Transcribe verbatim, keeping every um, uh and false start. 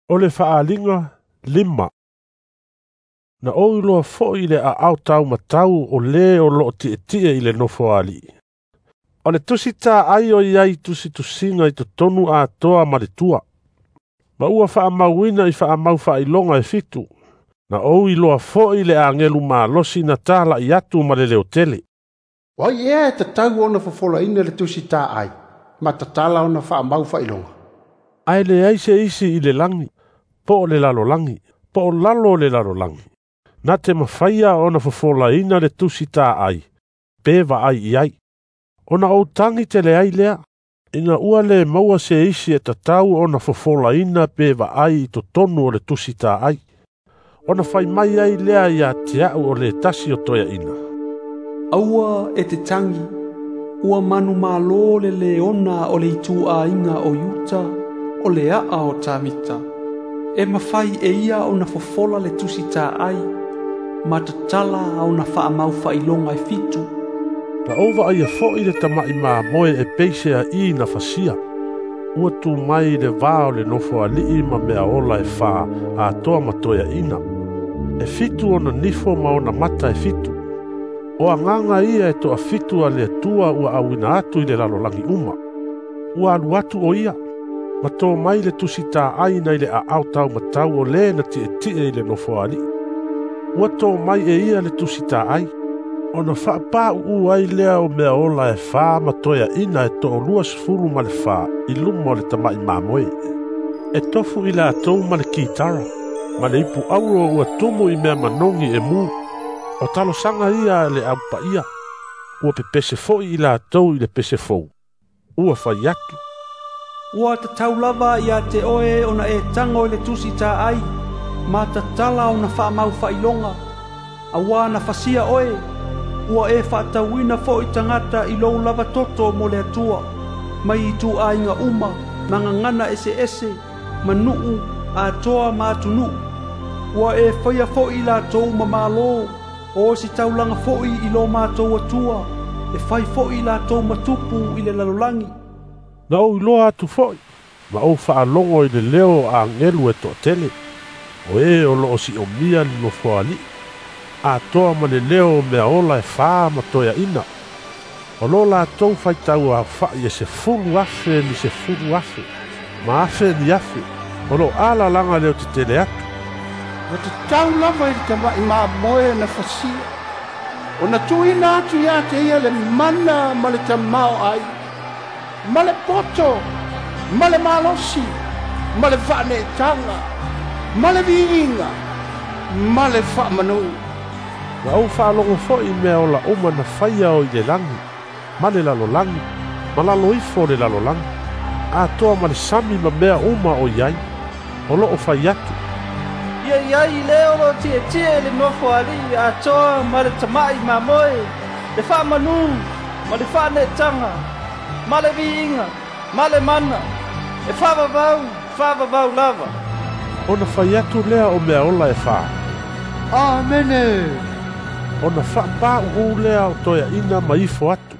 O le faaaliga lima. Na ou iloa foi le aao taumatau o le o loo tietie i le nofoalii. O le tusi taai o iai tusitusiga i totonu atoa ma le tua. Ma ua faamauina i faamau faailoga e fitu. Na ou iloa foi le agelu malosi na talai atu ma le leotele. O ai ea e tatau ona fofolaina le tusi taai, ma tatala ona faamau faailoga? Ae leai se isi i le lagi, po o le lalolagi, po o lalo o le lalolagi. Na te mafaia ona fofolaina le tusi taai, pe vaai i ai. Ona ou tagi tele ai lea, ina ua le maua se isi e tatau ona fofolaina pe vaai i totonu o le tusi taai. Ona fai mai ai lea ia te au o le tasi o toeaina. Aua e te tagi, ua manumalo le leona o le ituaiga o Iuta, o le aa o Tavita. E mafai e ia ona fofola le tusi taai, ma tatala ona faamau faailoga e fitu. Na ou vaaia foi le tama'i mamoe e peise a'i na fasia. Ua tu mai le va o le nofoalii ma mea ola e fā atoa ma toeaina. E fitu ona nifo ma ona mata e fitu. O agaga ia e toafitu a le Atua ua auina atu i le lalolagi uma. Ua alu atu o ia, ma tō mai le tusi taai nai le aao taumatau o le na tietie i le nofoalii. Ua tō mai e ia le tusi taai, ona faapāuu ai lea o mea ola e fā ma toeaina e toalua sefulu ma le fā i luma o le tama'i mamoe. E tofu i latou ma le kitara, ma le ipu auro ua tumu i mea manogi e mu. O talosaga ia le aupaia, ua pepese foi i latou i le pese fou. Ua fai atu. Ua tatau lava ia te oe ona e tago i le tusi taai, ma tatala ona faamau faailoga. Auā na fasia oe, ua e faatauina foi tagata i lou lava toto mo le Atua, mai ituaiga uma, ma gagana eseese, ma nuu, atoa ma atunuu. Ua e faia foi i latou ma malo, o se taulaga foi i lo matou Atua, e fai foi i latou ma tupu i le lalolagi. Na ou iloa atu foi, ma ou faalogo i le leo o agelu e toatele, o e o loo siomia le nofoalii, atoa ma le leo o mea ola e fā ma toeaina. O lo latou faitau aofa'i e sefulu afe ni sefulu afe, ma afe ni afe, o lo alalaga leo tetele atu. Ua tatau lava i le tama'i mamoe na fasia, ona tuuina atu ia te ia le mana ma le tamaoaiga, ma le poto, ma le malosi, ma le faaneetaga, ma le viiga, ma le faamanu. Na ou faalogo foi i mea ola uma na faia o i le lagi, ma le lalolagi, ma lalo ifo o le lalolagi, atoa ma le sami ma mea uma o i ai. O loo fai atu. Ia iai le o lo tietie le nofoalii atoa ma le tama'i mamoe, le faamanu, ma le faaneetaga, ma le viiga, ma le mana, e faavavau, faavavau lava. Ona fai atu lea o mea ola e fā. Amene! Ona faapāuu lea o toeaina ma ifo atu.